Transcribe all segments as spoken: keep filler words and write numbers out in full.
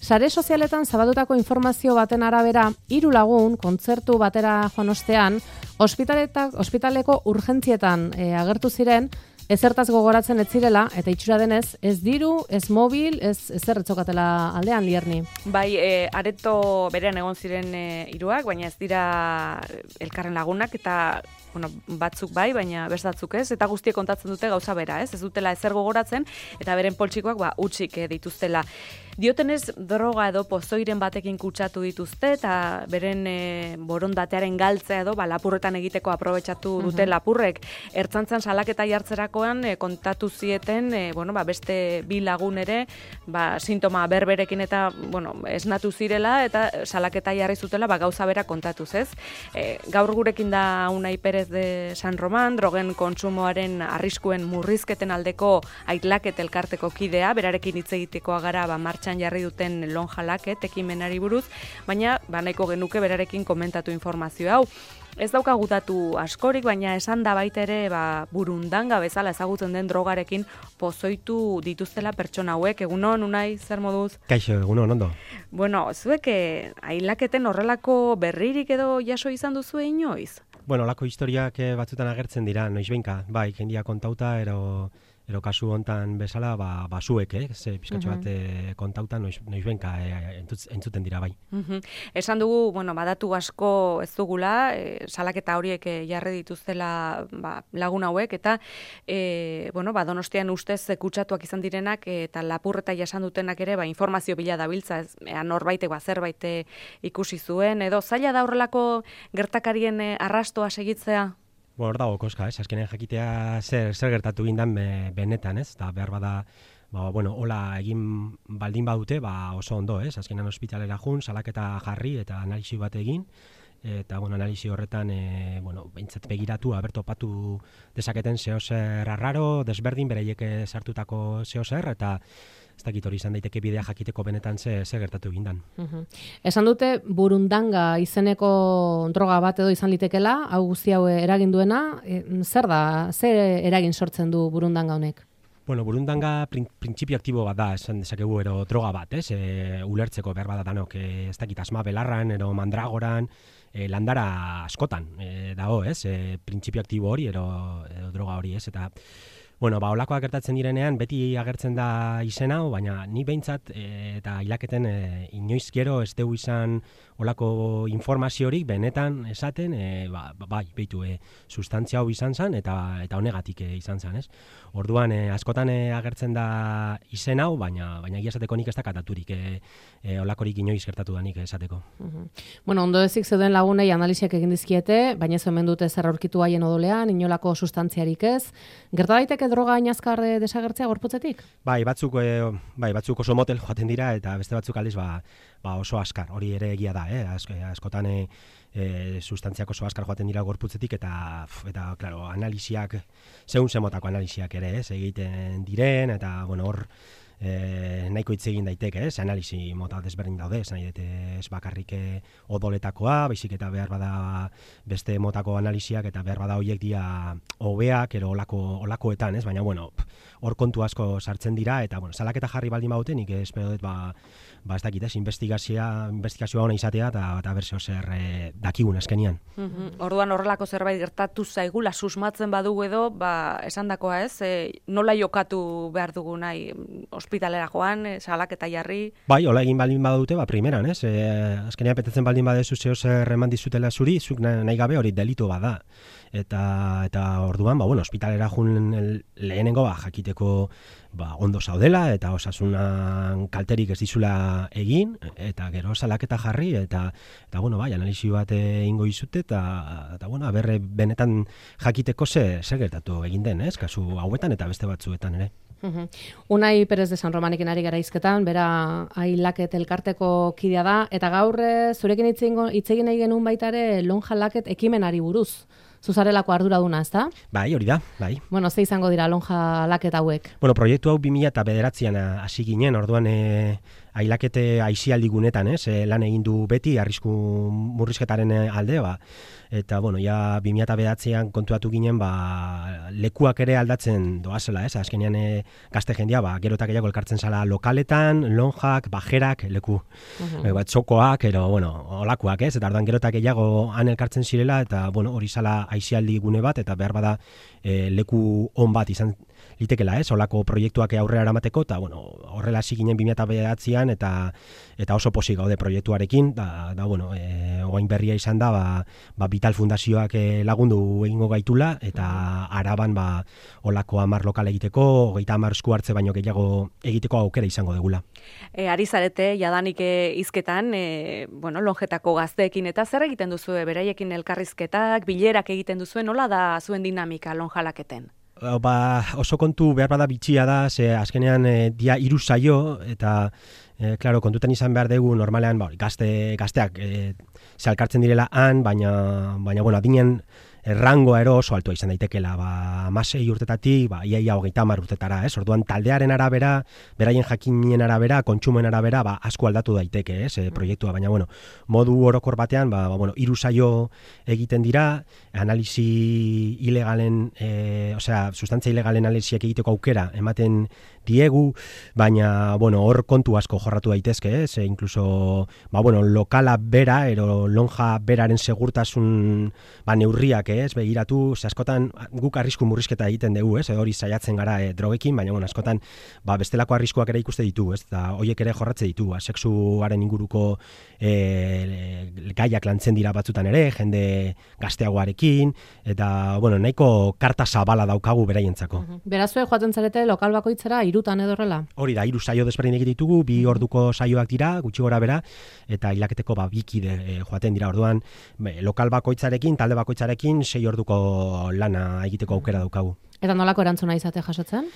Sare sozialetan zabaldutako informazio baten arabera, hiru lagun kontzertu batera joan ostean, ospitaleko urgentzietan e, agertu ziren, ezertaz gogoratzen ez zirela, eta itxura denez, ez diru, ez mobil, ez ezer etzokatela aldean, Lierni. Bai, e, areto berean egon ziren e, hiruak, baina ez dira elkarren lagunak, eta bueno, batzuk bai, baina bestatzuk ez, eta guztiek kontatzen dute gauza bera, ez? Ez dutela ezer gogoratzen, eta beren poltsikoak ba, utxik eh, dituztela. Diotenez, droga edo pozoiren batekin kutsatu dituzte, eta beren e, borondatearen galtzea edo ba, lapurretan egiteko aprobetxatu dute uh-huh. lapurrek. Ertzaintzan salaketa jartzerakoan e, kontatu zieten, e, bueno, ba, beste bi lagun ere, ba, sintoma berberekin eta bueno, esnatu zirela, eta salaketa jarri zutela ba, gauza bera kontatuz, ez? E, gaur gurekin da Unai Perez de San Roman, drogen kontsumoaren arriskuen murrizketen aldeko Aitlaket elkarteko kidea, berarekin hitz egitekoa gara ba, martxan jarri duten lonjalaket ekimenari buruz, baina ba, nahiko genuke berarekin komentatu informazio hau. Ez daukagu datu askorik, baina esan da baita ere ba, burundanga bezala ezagutzen den drogarekin pozoitu dituztela pertsona hauek. Egunon, Unai, zer moduz? Kaixo, egunon, ondo. Bueno, zuek Ailaketen horrelako berririk edo jaso izan duzu inoiz? Bueno, olako historiak batzutan agertzen dira, noizbenka, bai, jendia kontauta, ero... Ero kasu hontan bezala, ba, basuek, eh? Ze pizkatxo bat e, kontauta noiz, noizbenka e, entzut, entzuten dira bai. Uh-huh. Esan dugu, bueno, badatu asko ez dugula, e, salaketa horiek e, jarri dituztela ba, lagun hauek, eta e, bueno, ba, Donostian ustez kutsatuak izan direnak, e, eta lapurreta jasan dutenak ere, ba, informazio bila dabiltza, ez, e, norbaitek ba, zerbait ikusi zuen, edo zaila da horrelako gertakarien e, arrastoa segitzea? Bo, hor dago koska, ez? Azkenean jakitea zer, zer gertatu gindan be, benetan, ez? Eta behar bada, ba, bueno, hola egin baldin badute, ba, oso ondo, ez? Azkenean ospitalera jun, salaketa jarri eta analisi bat egin, eta, bueno, analisi horretan, e, bueno, behintzat begiratu, aber topatu dezaketen zehozer arraro, desberdin, bereiek sartutako zehozer, eta ez dakit hori izan daiteke bidea jakiteko benetan ze, ze gertatu egindan. Uh-huh. Esan dute burundanga izeneko droga bat edo izan litekela, hau guzti hau eragin duena, e, zer da, zer eragin sortzen du burundanga honek? Bueno, burundanga prin, printzipio aktibo bat da, esan dezakegu ero droga bat, ez? E, ulertzeko behar bat danok, e, ez dakit asma belarran, ero mandragoran, e, landara askotan e, dago, ez? E, printzipio aktibo hori, ero, ero droga hori, ez? Eta bueno, ba, olakoak gertatzen direnean, beti agertzen da izen hau, baina ni behintzat e, eta Ailaketen e, inoiz gero ez dugu izan olako informaziorik benetan esaten, e, ba, bai, behitu, e, sustantzia hau izan zen, eta eta honegatik e, izan zen, ez? Orduan, e, askotan e, agertzen da izen hau, baina baina egia esateko nik ez da kataturik, e, e, olakorik inoiz gertatu da nik esateko. Uh-huh. Bueno, ondo ezik zeuden lagunei analiziak egin dizkiete, baina ez hemen dute zer aurkitu haien odolean, inolako sustantziarik ez. Gerta daiteke droga inazkar desagertzea gorputzetik? Bai, batzuk, e, bai, batzuk oso motel joaten dira, eta beste batzuk aldiz ba, ba oso askar, hori ere egia da, eh? Ask, askotan e, e, sustantziak oso askar joaten dira gorputzetik, eta, eta claro, analisiak, zehun zemotako analisiak ere, ez, egiten diren, eta, bueno, hor, E, nahiko hitz egin daiteke, ez? Analisi mota desberdin daude, ez nahi dute ez bakarrik odoletakoa, baizik eta behar bada beste motako analisiak eta behar bada horiek dira hobeak, ero olako, olakoetan, ez? Baina, bueno, hor kontu asko sartzen dira, eta, bueno, salaketa jarri baldin baute, nik espero dut, ba, ba ez dakit, ez? Investigazioa, investigazioa ona izatea, eta, eta berzio zer e, dakigun azkenian. Uh-huh. Orduan horrelako zerbait gertatu zaigula, susmatzen badugu edo, ba, esandakoa ez, e, nola jokatu behar dugu nahi, ospitalera joan, e, salaketa jarri. Bai, hola egin baldin badute, ba, primeran, ez? E, azkenean petetzen baldin badezu zeo zer eman dizutela zuri, zuk nahi gabe hori delitu bada. Eta, eta orduan, ba, bueno, ospitalera jun lehenengo, ba, jakiteko ba, ondo zaudela, eta osasunan kalterik ez dizula egin, eta gero salaketa jarri, eta, eta bueno, bai, analisi bat egingo izute, eta, eta bueno, berre benetan jakiteko ze, ze gertatu egin den, ez? Kasu hauetan eta beste batzuetan ere. Uh-huh. Unai Perez de San Romanekin ari gara hizketan, bera Ailaket elkarteko kidea da, eta gaur zurekin hitz egin nahi genuen baita ere Lonja Laket ekimenari buruz. Zuzarelako arduraduna, ez da? Bai, hori da, bai. Bueno, ze izango dira Lonja Laket hauek? Bueno, proiektu hau bi mila bederatzian hasi ginen, orduan e, ailakete aisialdi gunetan, ez, e, lan egin du beti arrisku murrizketaren alde, ba, eta, bueno, ja bi mila bederatzian kontuatu ginen, ba, lekuak ere aldatzen doazela, ez, azkenean e, gazte jendia, ba, gero eta gehiago elkartzen zala lokaletan, lonjak, bajerak, leku, uh-huh. e, bat, txokoak, ero, bueno, olakuak, ez, eta orduan gero eta gehiago han elkartzen zirela, eta, bueno, hori zala aisialdi gune bat, eta behar bada e, leku on bat izan litekela, ez, olako proiektuak aurrera eramateko, eta, bueno, horrela hasi ginen bi mila bederatzian, eta eta oso pozik gaude proiektuarekin, da, da bueno, e, oain berria izan da, ba, ba Vital Fundazioak lagundu egingo gaitula, eta Araban, ba, olako hamar lokal egiteko, hogeita hamar esku hartze baino gehiago egiteko aukera izango degula. E, ari zarete, jadanik e, hizketan, e, bueno, lonjetako gazteekin, eta zer egiten duzu, beraiekin elkarrizketak, bilerak egiten duzu, nola da zuen dinamika lonjalaketen? Ba, oso kontu behar bada bitxia da, ze azkenean e, dia hiru saio, eta e, claro, kontutan izan behar dugu normalean ba, gazte, gazteak e, zalkartzen direla han, baina, baina bueno, adinen errangoa ero oso altua izan daitekela, ba, amasei urtetatik, ba, iaia hogeita hamar urtetara, ez? Orduan taldearen arabera, beraien jakinien arabera, kontsumen arabera, ba, asko aldatu daiteke, ez? E, proiektua, baina, bueno, modu orokor batean, ba, ba bueno, hiru saio egiten dira, analisi ilegalen, e, osea, sustantzia ilegalen analisiak egiteko aukera ematen diegu, baina, bueno, hor kontu asko jorratu daitezke, ez? E, incluso, ba, bueno, lokala bera, ero lonja beraren segurtasun, ba, neurriak, ez, begiratu, ze askotan guk arrisku murrizketa egiten dugu, ez, hori saiatzen gara e, drogekin, baina bueno, askotan ba, bestelako arriskuak ere ikuste ditu, ez, eta horiek ere jorratze ditu, ba, sexuaren inguruko e, gaiak lantzen dira batzutan ere, jende gazteagoarekin, eta, bueno, nahiko karta zabala daukagu beraientzako. Uh-huh. Berazue joaten zarete lokal bakoitzera hirutan edo horrela? Hori da, hiru saio desberdinak ditugu, bi orduko saioak dira, gutxi gora bera, eta hilaketeko ba, bikide e, joaten dira, orduan, be, lokal bakoitzarekin, talde bakoitzarekin, sei orduko lana egiteko aukera daukagu. Eta nolako erantzuna izate jasotzen?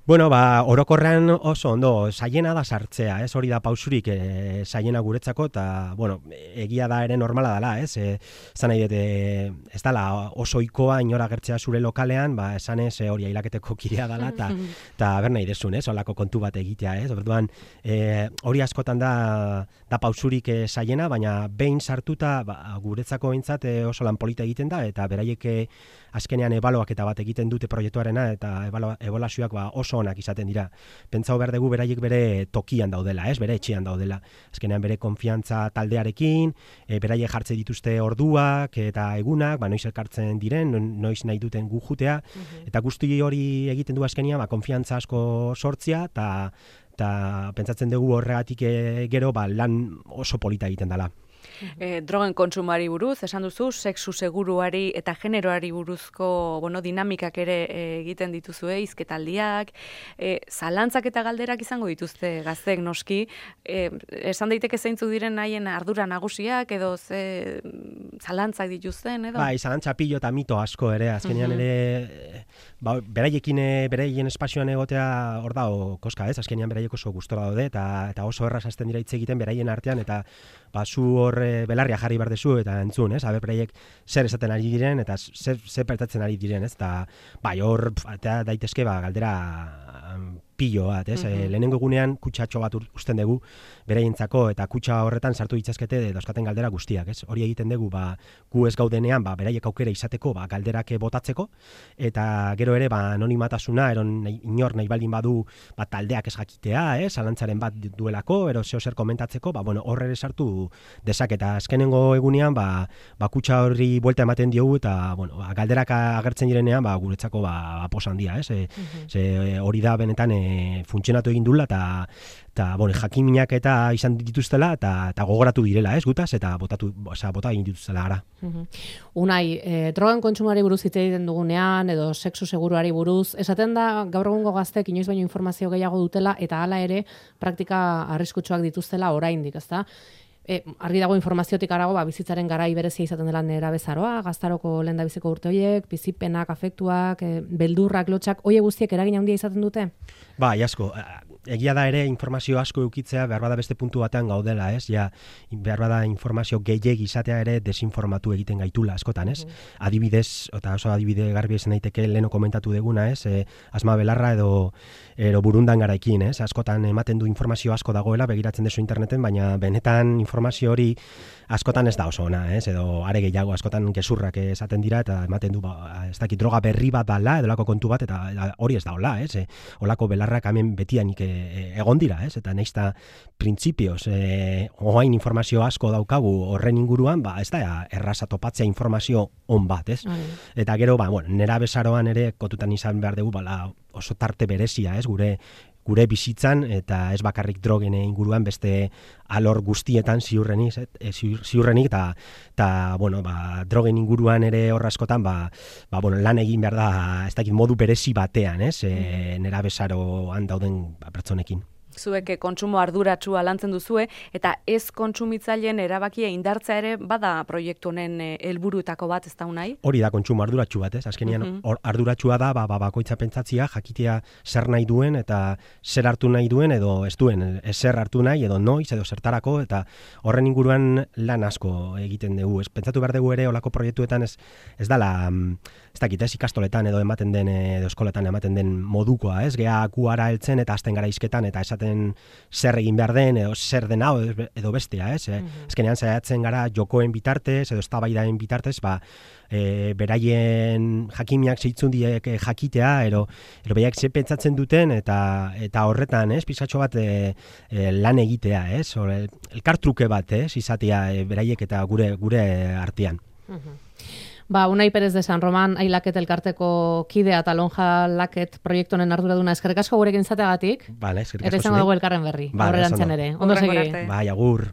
Bueno, ba, orokorrean oso ondo, saiena da sartzea, ez, hori da pausurik e, saiena guretzako, eta, bueno, egia da ere normala dela, ez, e, zan nahi dute, ez dala oso ikoa inora gertzea zure lokalean, ba, esan ez, hori ailaketeko kidea dela, eta eta ber nahi desun, ez, olako kontu bat egitea, ez, orduan, e, hori askotan da, da pausurik e, saiena, baina behin sartuta, ba, guretzako behintzat e, oso lan polita egiten da, eta beraiek azkenean ebaloak eta bat egiten dute proiektuarena, eta ebaluazioak ba, oso onak izaten dira. Pentsau behar dugu beraiek bere tokian daudela, ez, bere etxean daudela. Azkenean bere konfiantza taldearekin, e, beraiek jartze dituzte orduak eta egunak, ba, noiz elkartzen diren, noiz nahi duten gu jutea, uh-huh. eta guzti hori egiten du azkenean, ba, konfiantza asko sortzia, eta eta pentsatzen dugu horregatik e, gero ba, lan oso polita egiten dela. E, drogen kontsumari buruz, esan duzu, sexu seguruari eta generoari buruzko bueno, dinamikak ere e, egiten dituzue, hizketaldiak, e, zalantzak eta galderak izango dituzte gazteek noski, e, esan daiteke zeintzuk diren haien ardura nagusiak, edo ze zalantzak dituzten, edo? Bai, zalantza pilo eta mito asko ere, azkenean uh-huh. ere, ba, beraiekin, beraien espazioan egotea hor da, koska ez, azkenean beraiek oso gustora daude, eta, eta oso erraz hasten dira hitz egiten beraien artean, eta ba, zu hor belarria jarri behar dezu eta entzun, ez? Aber beraiek zer esaten ari diren eta zer, zer pertatzen ari diren, ez? Eta bai, hor eta daitezke ba, galdera pilo bat, ez? Mm-hmm. E, lehenengo egunean kutsatxo bat usten dugu beraientzako eta kutsa horretan sartu ditzazkete dauzkaten galdera guztiak, ez? Hori egiten dugu, ba, gu ez gaudenean, ba, beraiek aukera izateko, ba, galderak botatzeko, eta gero ere, ba, anonimatasuna, eron nahi, inor nahi baldin badu, ba, taldeak ez jakitea, ez? Zalantzaren bat duelako, ero zeo zer komentatzeko, ba, bueno, horre sartu dezak, eta azkenengo egunean, ba, ba, kutsa horri buelta ematen diogu, eta, bueno, ba, galderak agertzen direnean, ba, guretzako, ba, aposan dia, ez? E, mm-hmm. Ze hori da benetan, e, funtzionatu egin dula, eta eta bueno, jakiminak eta izan dituztela eta eta gogoratu direla, ez, gutaz, eta botatu, osea, bota egin dituztela gara. Uh-huh. Unai, e, drogen kontsumari buruz hitz egiten dugunean edo sexu seguruari buruz, esaten da gaur egungo gaztek inoiz baino informazio gehiago dutela eta hala ere praktika arriskutsuak dituztela oraindik, ezta? E, argi dago informaziotik arago, ba, bizitzaren garai berezia izaten dela nerabezaroa, gaztaroko lehendabiziko urte horiek, bizipenak, afektuak, e, beldurrak, lotxak, hoe guztiek eragin handia izaten dute? Ba, asko. egia da ere informazio asko eukitzea behar bada beste puntu batean gaudela, ez? Ja, behar bada informazio gehiegi izatea ere desinformatu egiten gaitula askotan, ez? Mm. Adibidez, eta oso adibide garbi esan daiteke leno komentatu deguna, ez? E, Asma Belarra edo ero burundan garaikin, ez? Askotan ematen du informazio asko dagoela, begiratzen dezu interneten, baina benetan informazio hori askotan ez da oso ona, ez? Edo are gehiago askotan gezurrak esaten dira eta ematen du, ba, ez dakit, droga berri bat dala, edo lako kontu bat, eta hori ez da hola, ez? E, olako belarrak hemen betianik e, egon dira, ez? Eta neizta printzipioz, e, oain informazio asko daukagu horren inguruan, ba, ez da erraza topatzea informazio on bat, ez? Mm. Eta gero, ba, bueno, nera besaroan ere kotutan izan behar dugu, bala, oso tarte berezia, ez? Gure gure bizitzan eta ez bakarrik drogen inguruan beste alor guztietan ziurrenik, ziurrenik eta eta bueno, ba, drogen inguruan ere horra askotan ba, ba, bueno, lan egin behar da, ez dakit modu berezi batean, ez? E, nera besaroan dauden ba, pertsonekin. Zuek kontsumo arduratsua lantzen duzue, eta ez kontsumitzaileen erabakia indartzea ere bada proiektu honen helburuetako bat, ez da unai? Hori da kontsumo arduratsu bat, ez? Azkenean uh -huh. arduratsua da ba, ba, bakoitza pentsatzia, jakitea zer nahi duen eta zer hartu nahi duen edo ez duen, ez zer hartu nahi edo noiz edo zertarako, eta horren inguruan lan asko egiten dugu. Ez pentsatu behar dugu ere olako proiektuetan ez, ez dala, ez dakit, ez ikastoletan edo ematen den, edo eskoletan ematen den modukoa, ez? Gea kuara heltzen eta hasten gara hizketan eta esaten zer egin behar den, edo zer den hau, edo bestea, ez? Eh? Mm-hmm. Ezkenean saiatzen gara jokoen bitartez, edo eztabaidaen bitartez, ba, e, beraien jakimiak zeitzun diek jakitea, ero, ero behaiak ze pentsatzen duten, eta eta horretan, ez? Pizatxo bat e, e, lan egitea, ez? Or, elkartruke bat, ez? Izatea e, beraiek eta gure gure artean. Mm-hmm. Ba, Unai Perez de San Roman, Ailaket elkarteko kidea eta Lonja Laket proiektu honen arduraduna, eskerrik asko gurekin izateagatik. Vale, eskerrik asko. Eta izango dugu elkarren berri. Vale, aurrerantzean ere. Ondo segi. Bai, agur.